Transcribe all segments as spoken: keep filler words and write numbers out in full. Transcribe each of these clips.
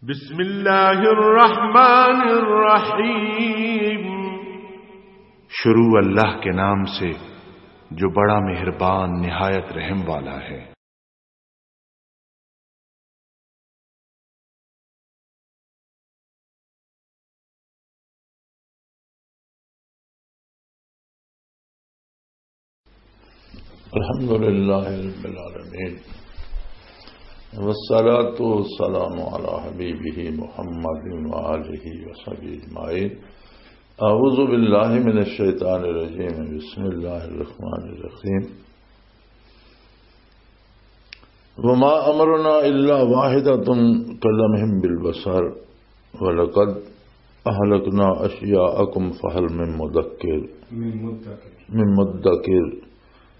بسم اللہ الرحمن الرحیم۔ شروع اللہ کے نام سے جو بڑا مہربان نہایت رحم والا ہے۔ الحمد لله رب العالمين، والصلاة والسلام على حبيبه محمد وآله وصحبه أجمعين. أعوذ بالله من الشيطان الرجيم. بسم الله الرحمن الرحيم. وما أمرنا إلا واحدة كلمح بالبصر ولقد أهلكنا أشياءكم فهل من مدكر. من مدكر. من مدكر.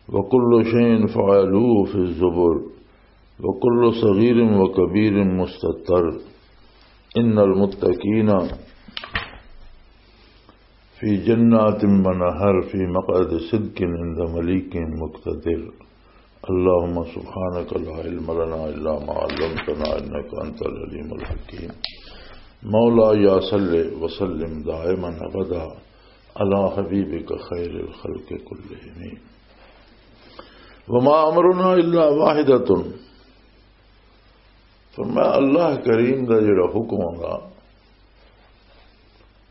وكل شيء فعلوه في الزبر. وكل صغير وكبير مستطر. إن المتقين في جنات ونهر في مقعد صدق عند مليك مقتدر. اللهم سبحانك لا علم لنا إلا ما علمتنا إنك أنت العليم الحكيم. مولاي صل وسلم دائما أبدا على حبيبك خير الخلق كلهم. وما أمرنا إلا واحدة. فرمایا، اللہ کریم دا جڑا حکم ہوندا،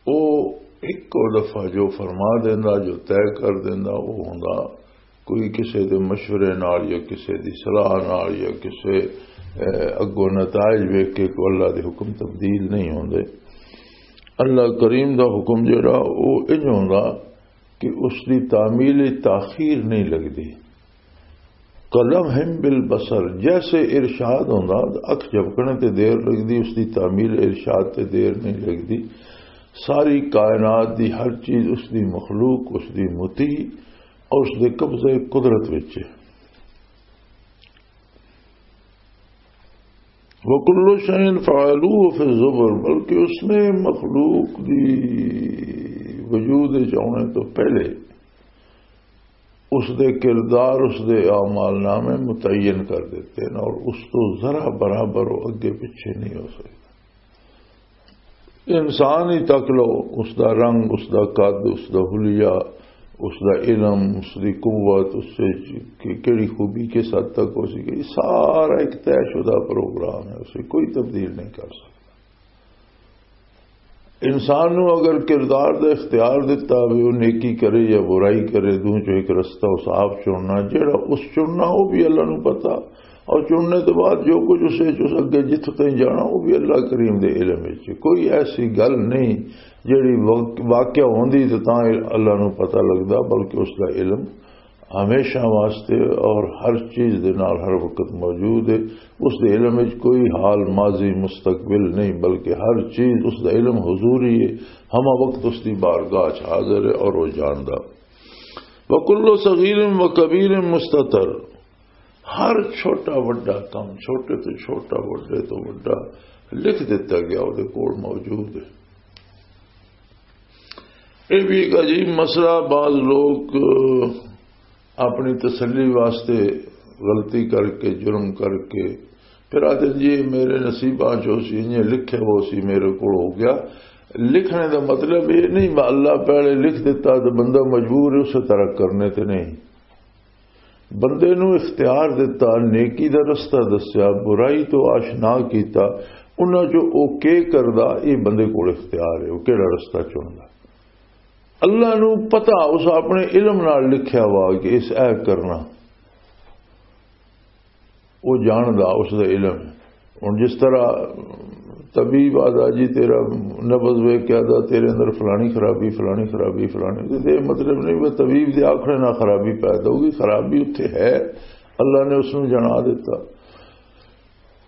او ایک دفعہ جو فرما دیندا، جو طے کر دیندا، او ہوندا کوئی کسے دے مشورے نال یا کسے دی صلاح نال یا کسے، اے، اگوں نتائج ویکھ کے کوئی اللہ دے حکم تبدیل نہیں ہوندے۔ اللہ کریم دا حکم جڑا، او انج ہوندا کہ اس دی تعمیل تاخیر نہیں لگدی۔ قلم ہم بالبصر، جیسے ارشاد ہوندا، اکھ جھپکنے تے دیر لگدی، اس دی تعمیل ارشاد تے دیر نہیں لگدی۔ ساری کائنات دی ہر چیز، اس دی مخلوق، اس دی مطیع اور اس دے قبضے قدرت وچ ہے۔ وَكُلُّ شَيْءٍ فَعَلُوهُ فِي الزُّبُرِ، بلکہ اس نے مخلوق دی وجود وچ آنے تو پہلے اس دے کردار، اس دے اعمال نامے متعین کر دیتے ہیں اور اس تو ذرا برابر وہ اگے پیچھے نہیں ہو سکتا۔ انسان ہی تک لو، اس دا رنگ، اس دا قد، اس دا حلیہ، اس دا علم، اس دی قوت، اس سے کہ-، کیڑی خوبی کس حد تک ہو سکے، یہ سارا ایک طے شدہ پروگرام ہے، اسے کوئی تبدیل نہیں کر سکتا۔ انسان نو اگر کردار دا اختیار دتا ہوئے، وہ نیکی کرے یا برائی کرے، دو چوں ایک رستہ اس آپ چننا، جیڑا اس چننا، وہ بھی اللہ نو پتا۔ اور چننے تو بعد جو کچھ اسے، جو اس اگے جتھے تائیں جانا، وہ بھی اللہ کریم دے علم وچ ہے۔ کوئی ایسی گل نہیں جیڑی واق-، واقعہ ہوندی تے تاں اللہ نو پتہ لگدا، بلکہ اس دا علم ہمیشہ واسطے اور ہر چیز دے نال ہر وقت موجود ہے۔ اس دے علم وچ کوئی حال ماضی مستقبل نہیں، بلکہ ہر چیز اس دا علم حضوری ہے، ہمہ وقت اس دی بارگاہ چ حاضر ہے اور وہ جاندا۔ وَكُلُّ صَغِيرٍ وَكَبِيرٍ مُسْتَطَرٌ۔ ہر چھوٹا وڈا کم، چھوٹے تو چھوٹا، وڈے تو وڈا لکھ دتا گیا، وہ کول موجود ہے۔ یہ بھی ایک عجیب مسئلہ۔ بعض لوگ اپنی تسلی واسطے غلطی کر کے، جرم کر کے، پھر آتے، "جی، میرے نصیباں چو سی، یہ لکھے وہ سی، میرے کو ہو گیا۔" لکھنے دا مطلب یہ نہیں، اللہ پہلے لکھ دیتا تو بندہ مجبور ہے اسے طرح کرنے تے نہیں۔ بندے نو اختیار دتا، نیکی دا رستہ دسیا، برائی تو آشنا کیتا، انہاں چوں او کے کردا، اے بندے کول اختیار ہے، او کیڑا رستہ چندا۔ اللہ نو پتہ، اس اپنے علم نال لکھیا وا کہ اس اے کرنا، او جاندا، اس دا علم ہے۔ ہن جس طرح طبیب آدا، "جی، تیرا نبض ویکھ کے آدا، تیرے اندر فلانی خرابی، فلانی خرابی، فلانی"، تے یہ مطلب نہیں کہ طبیب دے آکھنے نال خرابی پیدا ہوگی، خرابی اتھے ہے، اللہ نے اس نوں جنا دیتا۔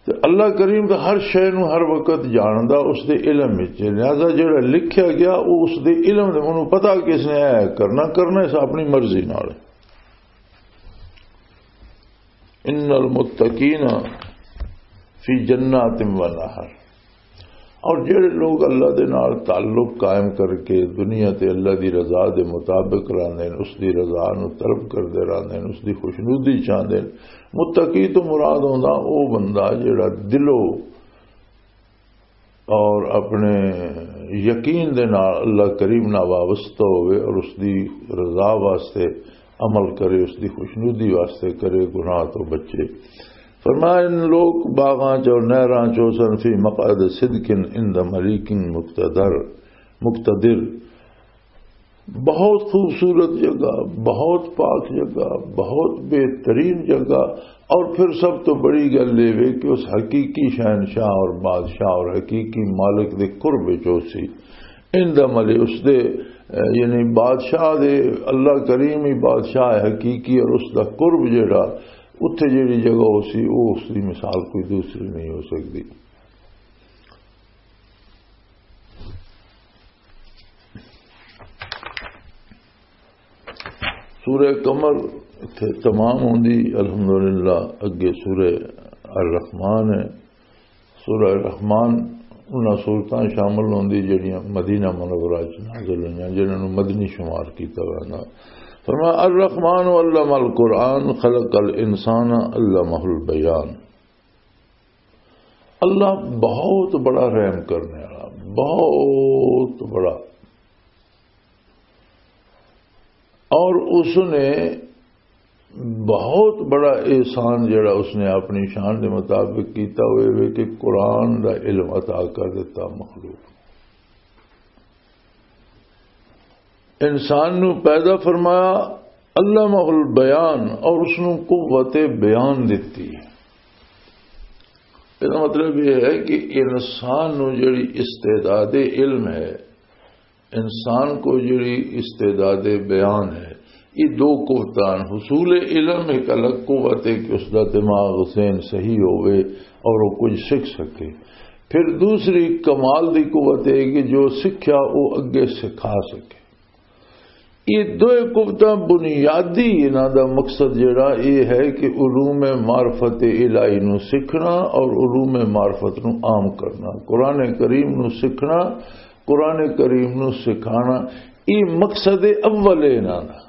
تے اللہ کریم دا ہر شے نوں ہر وقت جاندا، اس دے علم وچ ہے۔ لہذا جڑا لکھیا گیا، وہ اس دے علم دے، انہوں پتا کہ اس نے اے کرنا، کرنا اس اپنی مرضی نال ہے۔ ان المتقین فی جنات و نہر۔ اور جڑے لوگ اللہ دے نال تعلق قائم کر کے دنیا تے اللہ دی رضا دے مطابق رہندے نے، اس دی رضا نو طلب کردے رہندے نے، اس دی خوشنودی چاہندے نے، متقی تو مراد ہوندا او بندہ جڑا دلوں اور اپنے یقین دے نال اللہ کریم نال وابستہ ہوئے اور اس دی رضا واسطے عمل کرے، اس دی خوشنودی واسطے کرے، گناہ تو بچے۔ فرمایا، ان لوگ باغاں چ اور نہراں چ سن فی مقعد صدق عند ملیک مقتدر، مقتدر، بہت خوبصورت جگہ، بہت پاک جگہ، بہت بہترین جگہ۔ اور پھر سب تو بڑی گل یہ وے کہ اس حقیقی شہنشاہ اور بادشاہ اور حقیقی مالک دے قرب وچ ہو سی۔ ان دا ملے اس دے، یعنی بادشاہ دے، اللہ کریم ہی بادشاہ ہے حقیقی، اور اس دا قرب جڑا اتھے جڑی جگہ ہو سی، وہ اس دی مثال کوئی دوسری نہیں ہو سکتی۔ سورہ قمر اتھے تمام ہوندی، الحمدللہ۔ اگے سورہ الرحمن ہے۔ سورہ الرحمن انہاں سورتاں شامل ہوندی جڑیاں مدینہ منورہ چ نازل ہوئیاں، جنہاں نوں مدنی شمار کیتا ویندا۔ فرمایا، الرحمن علم القرآن خلق الانسان علمہ البیان۔ اللہ بہت بڑا رحم کرنے والا، بہت بڑا۔ اور اس نے بہت بڑا احسان جڑا اس نے اپنی شان دے مطابق کیتا ہوئے وے کہ قرآن دا علم عطا کر دیتا مخلوق۔ انسان نو پیدا فرمایا، علمہ البیان، اور اس نو قوت بیان دتی۔ اس مطلب یہ ہے کہ انسان نو جڑی استعداد علم ہے، انسان کو جڑی استعداد بیان ہے، یہ دو قوتان، حصول علم ایک الگ قوت ہے کہ اس دا دماغ، ذہن صحیح ہوئے اور وہ کچھ سکھ سکے۔ پھر دوسری کمال دی قوت ہے کہ جو سکھیا وہ اگے سکھا سکے۔ یہ دوئے قوتاں بنیادی، انہاں دا مقصد جڑا یہ ہے کہ علوم معرفت الہی نو سکھنا اور علوم معرفت نو عام کرنا، قرآن کریم نو سکھنا، قرآن کریم نو سکھانا، یہ مقصد اول ہے انہاں دا۔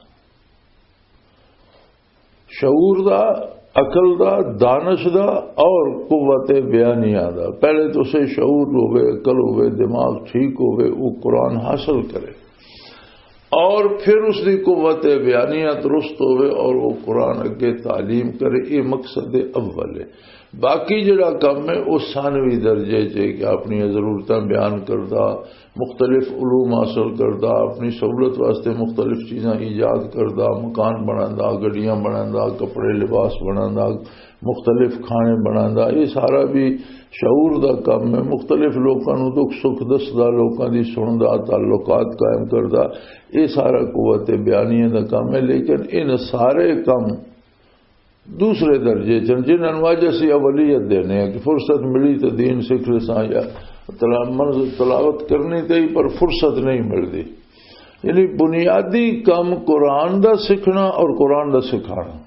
شعور دا، عقل دا، دانش دا اور قوت بیانیہ دا۔ پہلے تو اسے شعور ہوے، عقل ہوے، دماغ ٹھیک ہوے، وہ قرآن حاصل کرے اور پھر اس دی قوت بیانیہ درست ہوے اور وہ قرآن اگے تعلیم کرے۔ یہ مقصد اول ہے۔ باقی جڑا کم ہے، وہ ثانوی درجے چ ہے کہ اپنی ضرورتاں بیان کردا، مختلف علوم حاصل کردا، اپنی سہولت واسطے مختلف چیزاں ایجاد کردا، مکان بناندا، گڈیاں بناندا، کپڑے لباس بناندا، مختلف کھانے بناندا۔ یہ سارا بھی شعور دا کم ہے۔ مختلف لوکاں نوں دکھ سکھ دسدا، لوکاں دی سندا، تعلقات قائم کردا، یہ سارا قوت بیانیہ دا کم ہے۔ لیکن ان سارے کم دوسرے درجے چن، جنہاں نوں اج اسی اولیت دینے ہیں کہ فرصت ملی تے دین سکھ لساں یا تلا-، منظر تلاوت کرنی تے ہی، پر فرصت نہیں ملدی۔ یعنی بنیادی کم قرآن دا سکھنا اور قرآن دا سکھانا۔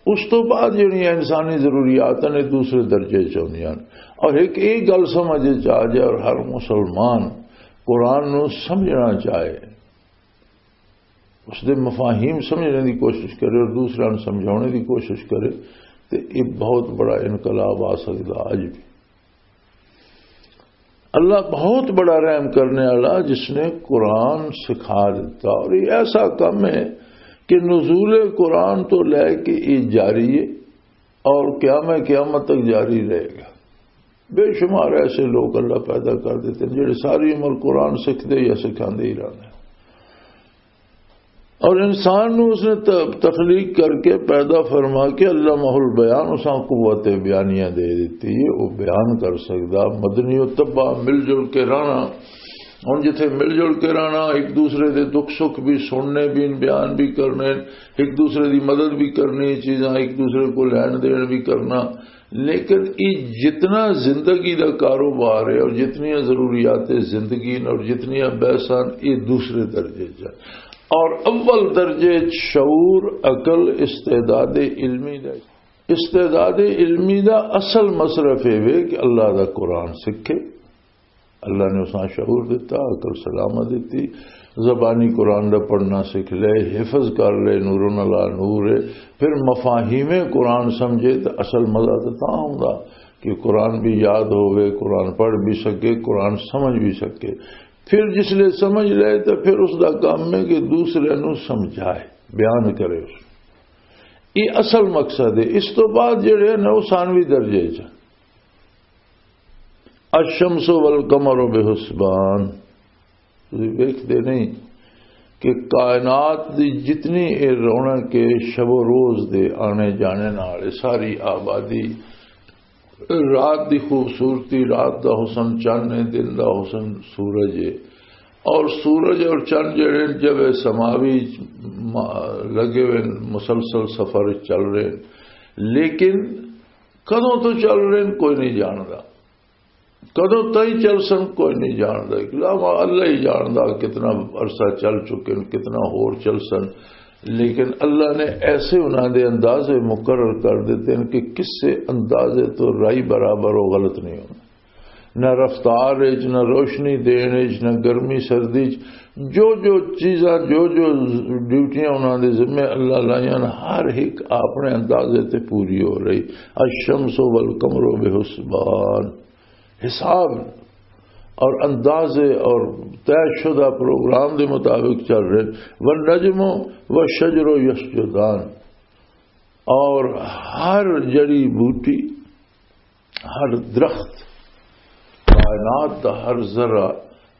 اس تو بعد جڑیاں انسانی ضروریات نے دوسرے درجے چ ہوندیاں۔ اور ایک یہ گل سمجھ چ آ جائے اور ہر مسلمان قرآن نوں سمجھنا چاہے، اس دے مفاہیم سمجھنے دی کوشش کرے اور دوسرے نوں سمجھانے دی کوشش کرے، تے یہ بہت بڑا انقلاب آ سکدا اج بھی۔ اللہ بہت بڑا رحم کرنے والا، جس نے قرآن سکھا دیتا۔ اور یہ ایسا کم ہے کہ نزول قرآن تو لے کے یہ جاری ہے اور قیام قیامت تک جاری رہے گا۔ بے شمار ایسے لوگ اللہ پیدا کر دیتے ہیں، جڑے ساری عمر قرآن سکھتے یا سکھاندے ہی رہندے ہیں۔ اور انسان نو اس نے ت-، تخلیق کر کے پیدا فرما کے علمہ البیان، اساں قوت بیانیہ دے دیتی ہے، وہ بیان کر سکدا۔ مدنی و طبع مل جل کے رہنا، ہن جتھے مل جل کے رہنا، ایک دوسرے دے دکھ سکھ بھی سننے، بھی بیان بھی کرنے، ایک دوسرے دی مدد بھی کرنی، چیزاں ایک دوسرے کو لین دین بھی کرنا، لیکن یہ جتنا زندگی دا کاروبار ہے اور جتنی ضروریات زندگی نے اور جتنی بحثاں، یہ دوسرے درجے چ ہے۔ اور اول درجے چ شعور، عقل، استعداد علمی دا، استعداد علمی دا اصل مصرف یہ وے کہ اللہ دا قرآن سکھے۔ اللہ نے اساں شعور دیتا، عقل سلامت دیتی، زبانی قرآن دا پڑھنا سکھ لے، حفظ کر لے، نور علی نور ہے۔ پھر مفاہیم قرآن سمجھے تو اصل مزہ تو تاں آوندا۔ کہ قرآن بھی یاد ہوئے، قرآن پڑھ بھی سکے، قرآن سمجھ بھی سکے۔ پھر جس لئے سمجھ لے تو پھر اس دا کام ہے کہ دوسرے نو سمجھائے، بیان کرے اس۔ یہ اصل مقصد ہے۔ اس تو بعد جڑے ہیں نا، وہ ثانوی درجے چ۔ الشمس والقمر بحسبان۔ تسی ویکھدے نہیں کہ کائنات دی جتنی اے رونق ہے، شب و روز دے آنے جانے نال، اے ساری آبادی، رات دی خوبصورتی، رات دا حسن چن ہے، دن دا حسن سورج ہے۔ اور سورج اور چن جڑے ہیں، جب اے سماوی ما-، لگے ہوئے ہیں، مسلسل سفر چل رہے ہیں، لیکن کدوں تو چل رہے ہیں، کوئی نہیں جاندا۔ کدوں تائیں چل سن، کوئی نہیں جاندا۔ علاوہ اللہ ہی جاندا کتنا عرصہ چل چکے ہیں، کتنا ہور چل سن۔ لیکن اللہ نے ایسے انہاں دے اندازے مقرر کر دیتے ہیں کہ کسے اندازے تو رائی برابر و غلط نہیں ہونا۔ نہ رفتار وچ، نہ روشنی دین وچ، نہ گرمی سردی وچ، جو جو چیزاں، جو جو ڈیوٹیاں انہاں دے ذمے اللہ لائیاں، ہر ایک اپنے اندازے تے پوری ہو رہی۔ الشمس والقمر بحسبان، حساب اور اندازے اور طے شدہ پروگرام دے مطابق چل رہے۔ والنجم والشجر یسجدان، اور ہر جڑی بوٹی، ہر درخت، کائنات دا ہر ذرہ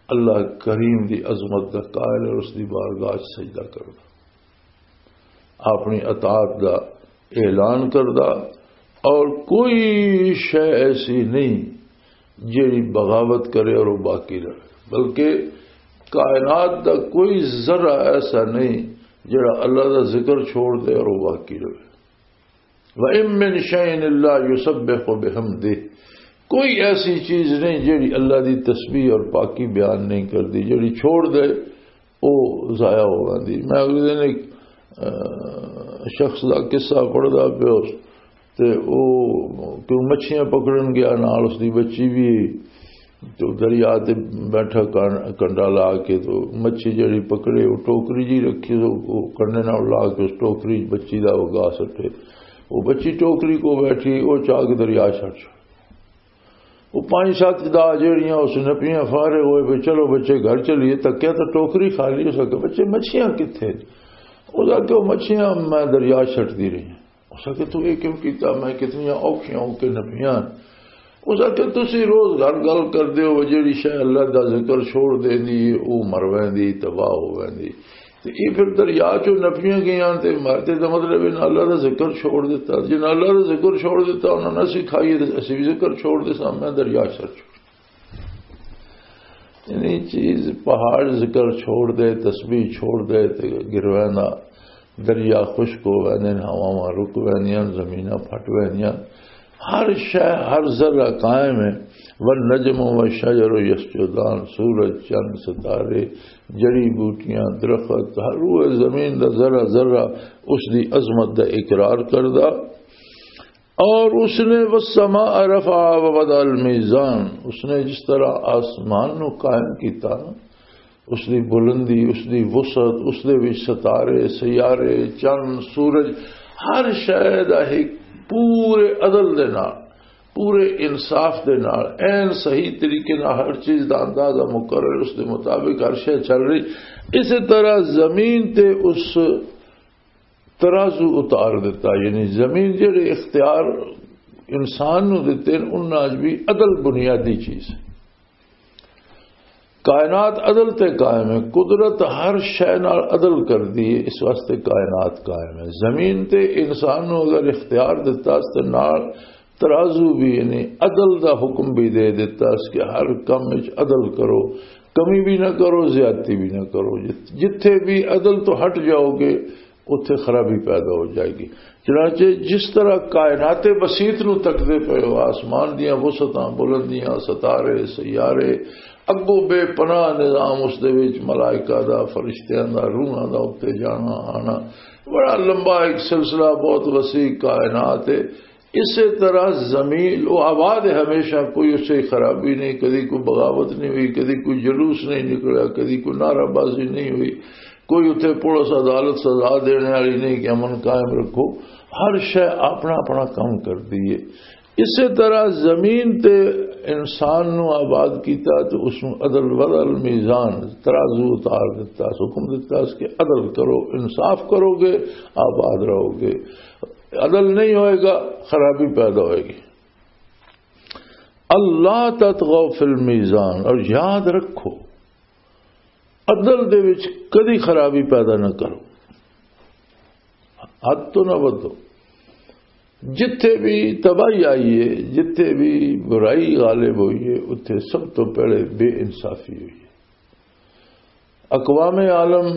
اللہ کریم دی عظمت دا قائل اور اس دی بارگاہ چ سجدہ کردا، اپنی اطاعت دا اعلان کردا، اور کوئی شے ایسی نہیں جیڑی بغاوت کرے اور وہ باقی رہے، بلکہ کائنات دا کوئی ذرہ ایسا نہیں جیڑا اللہ دا ذکر چھوڑ دے اور وہ باقی رہے۔ وَإِن مِّن شَيْءٍ إِلَّا يُسَبِّحُ بِحَمْدِهِ، کوئی ایسی چیز نہیں جیڑی اللہ دی تسبیح اور پاکی بیان نہیں کردی، جیڑی چھوڑ دے، او ضائع ہو ویندی۔ میں اگلے دن ایک، آ، شخص دا قصہ پڑھدا پیا اس، تے او کیوں مچھیاں پکڑن گیا، نال اس دی بچی بھی، تے دریا تے بیٹھا کن-، کنڈا لا کے، تو مچھی جڑی پکڑے، وہ ٹوکری جی رکھی، تو وہ کنڈے نال لا کے اس ٹوکری بچی دا وگا سٹے۔ وہ بچی ٹوکری کو بیٹھی، وہ چا کے دریا چھڑ چھڑ۔ وہ پانچ سات دا جڑیاں اس نپیاں فارغ ہوئے، بھی چلو بچے گھر چلیے، تکیا تو ٹوکری خالی۔ ہو سکے بچے مچھیاں کتھے؟ وہ کہ وہ مچھیاں میں دریا چھٹتی رہی ہوں۔ اس آکھیا، "تو یہ کیوں کیتا؟ میں کتنیاں اوکھیاں ہو کے نپیاں۔" اس آکھیا، "تسی روز گھر گل کردے ہو، جیڑی شے اللہ دا ذکر چھوڑ دیندی ہے، او مر ویندی، تباہ ہو ویندی۔ تے یہ پھر دریا چوں نپیاں گئیاں، تے مر تے دا مطلب ہے نہ اللہ دا ذکر چھوڑ دیتا۔ جے نہ اللہ دا ذکر چھوڑ دیتا، انہاں نے سکھائیے تے اسی بھی ذکر چھوڑ دے سامنے دریا سر چھوڑ۔" یعنی چیز پہاڑ ذکر چھوڑ دے، تسبیح چھوڑ دے تے گرویندا، دریا خشک ہو ویندے نے، ہواواں رک ویندیاں، زمیناں پھٹ ویندیاں، ہر شے، ہر ذرہ قائم ہے۔ والنجم والشجر یسجدان، سورج، چند، ستارے، جڑی بوٹیاں، درخت، ہر روئے زمین دا ذرہ ذرہ اس دی عظمت دا اقرار کردا۔ اور اس نے والسماء رفعها ووضع الميزان، اس نے جس طرح آسمان نو قائم کیتا نا، اس دی بلندی، اس دی وسعت، اس دے وچ ستارے، سیارے، چند، سورج، ہر شے دا ایک پورے عدل دے نال، پورے انصاف دے نال، عین صحیح طریقے نال ہر چیز دا اندازہ مقرر اس دے مطابق ہر شے چل رہی۔ اسی طرح زمین تے اس ترازو اتار دیتا، یعنی زمین جڑے اختیار انسان نو دتے ہیں، انہاں وچ بھی عدل بنیادی چیز ہے۔ کائنات عدل تے قائم ہے، قدرت ہر شے نال عدل کردی ہے، اس واسطے کائنات قائم ہے۔ زمین تے انسان نو اگر اختیار دتا اس تے نال ترازو بھی، یعنی عدل دا حکم بھی دے دتا اس کہ ہر کم وچ عدل کرو، کمی بھی نہ کرو، زیادتی بھی نہ کرو۔ جت-، جتھے بھی عدل تو ہٹ جاؤ گے، اتھے خرابی پیدا ہو جائے گی۔ چنانچہ جس طرح کائنات بسیط نو تکدے پئے ہو، آسمان دیاں وسعتاں، بلندیاں، ستارے، سیارے، اگوں بے پناہ نظام، اس دے وچ ملائکہ دا، فرشتیاں دا، روحاں دا اتھے جانا آنا، بڑا لمبا ایک سلسلہ، بہت وسیع کائنات ہے۔ اسی طرح زمین وہ آباد ہے ہمیشہ، کوئی اس سے خرابی نہیں، کدی کوئی بغاوت نہیں ہوئی، کدی کوئی جلوس نہیں نکلا، کدی کوئی نعرہ بازی نہیں ہوئی، کوئی اتھے پولیس عدالت سزا دینے والی نہیں کہ امن قائم رکھو۔ ہر شے اپنا اپنا کام کردی ہے۔ اسی طرح زمین تے انسان نو آباد کیتا تے اس نو عدل وزن میزان ترازو اتار دتا، حکم دتا اس کہ عدل کرو، انصاف کرو گے، آباد رہو گے۔ عدل نہیں ہوئے گا، خرابی پیدا ہوئے گی۔ اللہ تطغوا فی المیزان، اور یاد رکھو، عدل دے وچ کدی خرابی پیدا نہ کرو، حد تو نہ ودو۔ جتھے بھی تباہی آئی ہے، جتھے بھی برائی غالب ہوئی ہے، اتھے سب تو پہلے بے انصافی ہوئی ہے۔ اقوام عالم،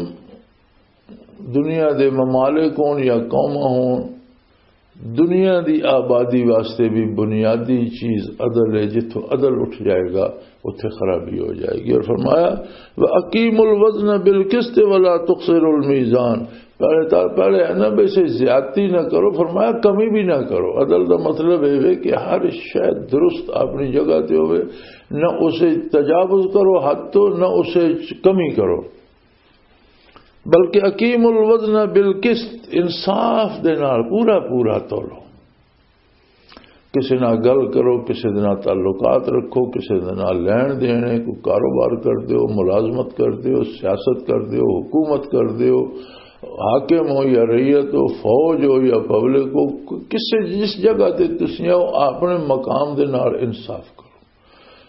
دنیا دے ممالک ہون یا قوماں ہون، دنیا دی آبادی واسطے بھی بنیادی چیز عدل ہے۔ جتھوں عدل اٹھ جائے گا، اتھے خرابی ہو جائے گی۔ اور فرمایا، "وَأَقِيمُوا الْوَزْنَ بِالْقِسْطِ وَلَا تُخْسِرُوا الْمِيزَانَ۔" پہلے تا-، پہلے ہے نا، ویسے زیادتی نہ کرو، فرمایا کمی بھی نہ کرو۔ عدل دا مطلب یہ ہے کہ ہر شے درست اپنی جگہ تے ہوئے، نہ اسے تجاوز کرو حد تو، نہ اسے چ-، کمی کرو، بلکہ اقیم الوزن بالقسط، انصاف دے نال پورا پورا تولو۔ کسے نال گل کرو، کسے دے نال تعلقات رکھو، کسے دے نال لین دین ہے، کوئی کاروبار کر دیو، ملازمت کر دیو، سیاست کر دیو، حکومت کر دیو، حاکم ہو یا رعیت ہو، فوج ہو یا پبلک ہو، کسے جس جگہ تے تسی ہو، اپنے مقام دے نال انصاف کرو۔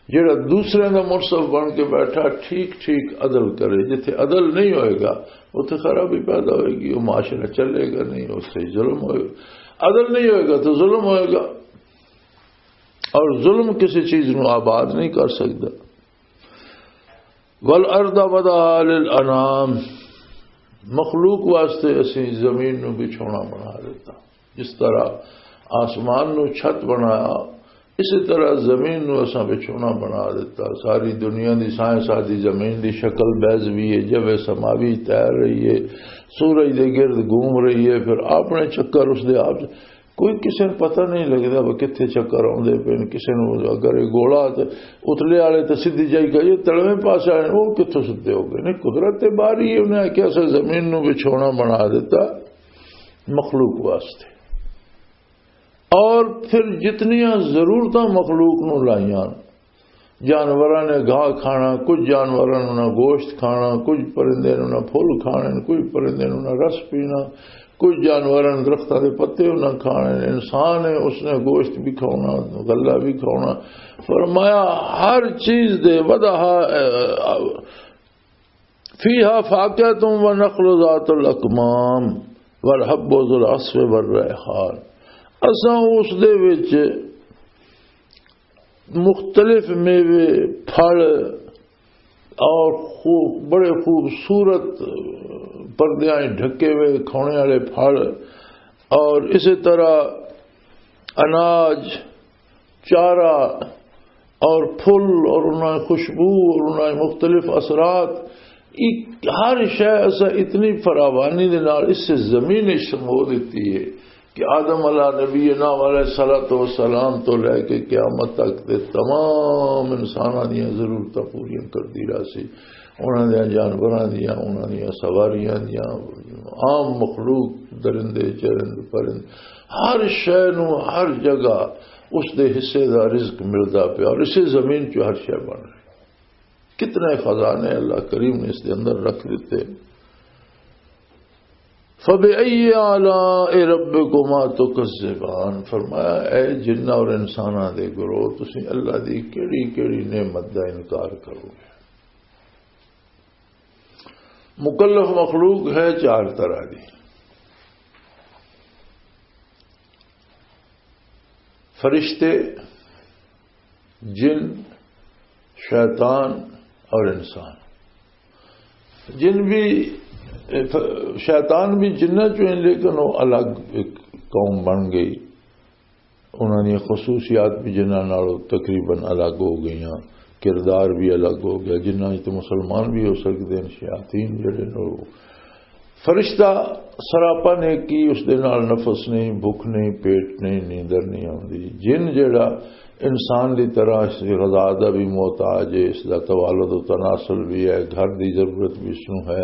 جڑا دوسرے دا منصف بن کے بیٹھا، ٹھیک ٹھیک عدل کرے۔ جتھے عدل نہیں ہوئے گا، اتھے خرابی پیدا ہوئے گی، وہ معاشرہ چلے گا نہیں، اس سے ظلم ہوئے گا۔ عدل نہیں ہوئے گا تو ظلم ہوئے گا، اور ظلم کسی چیز نو آباد نہیں کر سکتا۔ "والارض وضعها للانام"، مخلوق واسطے اسی زمین نو بچھونا بنا دیتا۔ جس طرح آسمان نو چھت بنایا، اسی طرح زمین نو اساں بچھونا بنا دیتا۔ ساری دنیا دی سائنس آدھی زمین دی شکل بیضوی ہے، جو سماوی تیر رہی ہے، سورج دے گرد گھوم رہی ہے، پھر اپنے چکر اس دے آپ۔ کوئی کسے نوں پتہ نہیں لگدا وہ کتھے چکر آوندے پئے نے۔ کسے نوں اگر یہ گولا تے اتلے والے تے سیدھی جائی کہیے، تلویں پاسے آئے، وہ کتھوں سیدھے ہو گئے؟ نہیں، قدرت تے باری ہے، انہیں آکھیا اساں زمین نوں بچھونا بنا دیتا مخلوق واسطے۔ اور پھر جتنیاں ضرورتاں مخلوق نوں لائیاں، جانوراں نے گھاہ کھانا، کچھ جانوراں نوں نہ گوشت کھانا، کچھ پرندے نوں نہ پھل کھانے، کچھ پرندے نوں نہ رس پینا، کچھ جانوراں نے درختاں دے پتے نہ کھانے۔ انسان ہے، اس نے گوشت بھی کھانا، غلہ بھی کھانا۔ فرمایا، ہر چیز دے وضعها، فيها فاكهة والنخل ذات الأكمام والحب ذو العصف والريحان۔ اساں اس دے وچ مختلف میوے، پھل اور خوب، بڑے خوبصورت پردیاں ڈھکے ہوئے کھانے والے پھل، اور اسی طرح اناج، چارہ اور پھل اور انہاں دی خوشبو اور انہاں دے مختلف اثرات، ایک ہر شے اساں اتنی فراوانی دے نال اس زمین وچ سمو دتی ہے کہ آدم علیہ نبینا علیہ الصلوۃ والسلام تو لے کے قیامت تک دے تمام انساناں دیاں ضرورتاں پوریاں کردی رہسی۔ انہاں دیاں جانوراں دیاں، انہاں دیاں سواریاں دیاں، عام مخلوق، درندے، چرند، پرند، ہر شے نوں ہر جگہ اس دے حصے دا رزق ملدا پیا اور اسے زمین چ ہر شے بن رہی۔ کتنے خزانے اللہ کریم نے اس دے اندر رکھ دیتے۔ فَبِأَيِّ آلَاءِ رَبِّكُمَا تُكَذِّبَانِ، فرمایا، اے جناں اور انساناں دے گروہ، تسی اللہ دی کیڑی کیڑی نعمت دا انکار کرو گے؟ مکلف مخلوق ہے چار طرح دی، فرشتے، جن، شیطان اور انسان۔ جن بھی، شیطان بھی جنہ چوں ہیں، لیکن وہ الگ ایک قوم بن گئی۔ انہاں دیاں خصوصیات بھی جنہاں نالوں تقریباً الگ ہو گئیاں، کردار بھی الگ ہو گیا۔ جنہاں وچ تے مسلمان بھی ہو سکدے ہیں، شیاطین جڑے نے، وہ فرشتہ سراپا نیکی، اس دے نال نفس نہیں، بھوک نہیں، پیٹ نہیں، نیندر نہیں آوندی۔ جن جڑا انسان دی طرح اس دی غذا دا بھی محتاج ہے، اس دا توالد و تناسل بھی ہے، گھر دی ضرورت بھی اس نوں ہے،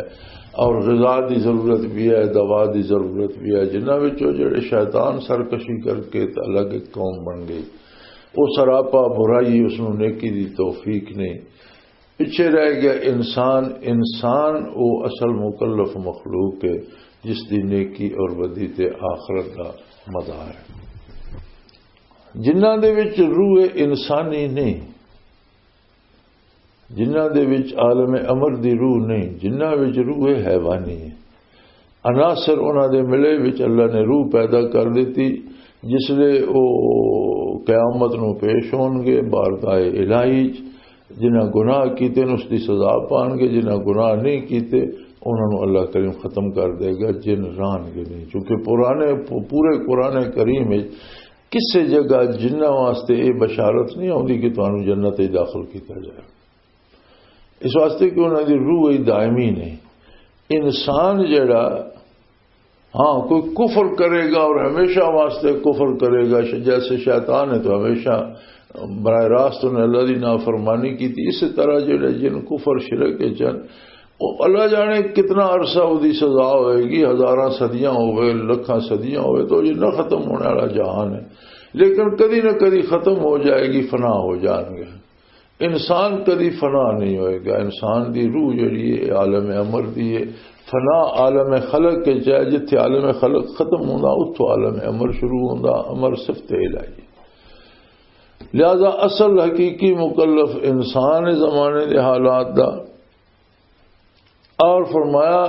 اور غذا دی ضرورت بھی ہے، دوا دی ضرورت بھی ہے۔ جنہاں وچوں جڑے شیطان سرکشی کر کے تے الگ ایک قوم بن گئی، وہ سراپا برائی، اس نوں نیکی دی توفیق نہیں۔ پیچھے رہ گیا انسان۔ انسان وہ اصل مکلف مخلوق ہے، جس دی نیکی اور بدی تے آخرت دا مدار ہے۔ جنہاں دے وچ روح انسانی نہیں، جنہاں دے وچ عالم امر دی روح نہیں، جنہاں وچ روح حیوانی ہے، عناصر انہاں دے ملے وچ اللہ نے روح پیدا کر دتی۔ جس لے او قیامت نوں پیش ہون گے بارگاہ الہی چ، جنہاں گناہ کیتے نے اس دی سزا پان گے، جنہاں گناہ نہیں کیتے انہاں نوں اللہ کریم ختم کر دے گا، جن رہن گے نہیں۔ چونکہ پرانے، پورے قرآن کریم وچ کسے جگہ جنہاں واسطے یہ بشارت نہیں آتی کہ تانوں جنت وچ داخل کیتا جائے، اس واسطے کہ انہاں دی روح ہی دائمی نہیں۔ انسان جڑا، ہاں، کوئی کفر کرے گا اور ہمیشہ واسطے کفر کرے گا، ش-، جیسے شیطان ہے تو ہمیشہ براہ راست انہیں اللہ دی نافرمانی کی تھی، اسی طرح جڑے جن کفر شرک کے چن، وہ اللہ جانے کتنا عرصہ وہ دی سزا ہوئے گی، ہزاراں صدیاں ہوئے، لکھاں صدیاں ہوئے، تو یہ نہ ختم ہونے والا جہان ہے، لیکن کدی نہ کدی ختم ہو جائے گی، فنا ہو جان گے۔ انسان کدی فنا نہیں ہوئے گا۔ انسان دی روح جڑی ہے، عالم امر دی ہے۔ فنا عالم خلق کے چاہے، جتھے عالم خلق ختم ہوندا، اتھوں عالم امر شروع ہوندا، امر صفت الہی۔ لہذا اصل حقیقی مکلف انسان ہے زمانے دے حالات دا۔ اور فرمایا،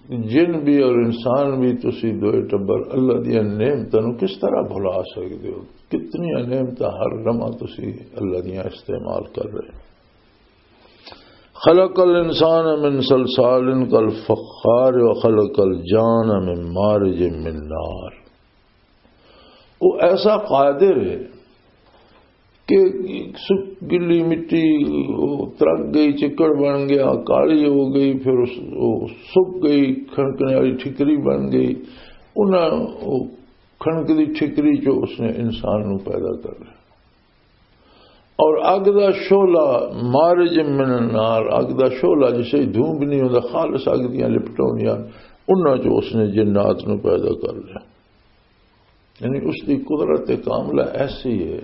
جن بھی اور انسان بھی، تسی دوئے ٹبر اللہ دیاں نعمتاں نوں کس طرح بھلا سکدے ہو؟ کتنی نعمتاں ہر لمحہ تسی اللہ دیاں استعمال کر رہے ہو۔ خلق الانسان من صلصال کالفخار وخلق الجان من مارج من نار۔ وہ ایسا قادر ہے کہ سک-، گلی مٹی، وہ ترک گئی، چکڑ بن گیا، کالی ہو گئی، پھر اس، وہ سک گئی، کھنکنے والی ٹھکری بن گئی۔ انہاں وہ کھنک دی ٹھکری چو اس نے انسان نو پیدا کر لیا۔ اور اگ دا شعلہ، مارج من النار، اگ دا شعلہ جسے دھوم بھی نہیں ہوندا، خالص اگ دیاں لپٹاں ہوندیاں، انہاں چو اس نے جنات نو پیدا کر لیا۔ یعنی اس دی قدرت کاملہ ایسی ہے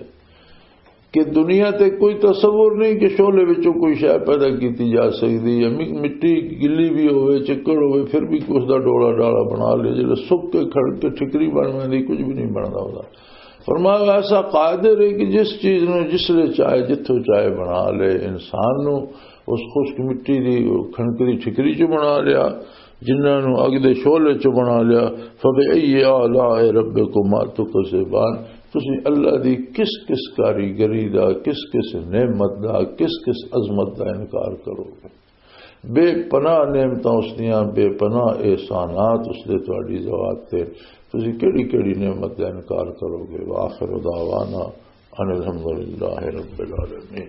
کہ دنیا تے کوئی تصور نہیں کہ شعلے وچوں کوئی شے پیدا کیتی جا سکدی ہے۔ مک-، مٹی گلی بھی ہوئے، چکڑ ہوئے، پھر بھی اس دا ڈولا ڈالا بنا لے۔ جلے سک کے کھڑ کے ٹھکری بن ویندی، کچھ بھی نہیں بندا ہوتا۔ فرمایا، ایسا قادر ہے کہ جس چیز نو جس لے چاہے، جتھوں چاہے بنا لے۔ انسان نو اس خشک مٹی دی کھنک دی ٹھکری چ بنا لیا، جنہاں نو اگ دے شعلے چ بنا لیا۔ فبأي آلاء ربكما تكذبان، تسی اللہ دی کس کس کاریگری دا، کس کس نعمت دا، کس کس عظمت دا انکار کرو گے؟ بے پناہ نعمتاں اس دیاں، بے پناہ احسانات اس دے تہاڈی ذات تے، تسی کیڑی کیڑی نعمت دا انکار کرو گے؟ وآخر دعوانا ان الحمد للہ رب العالمین۔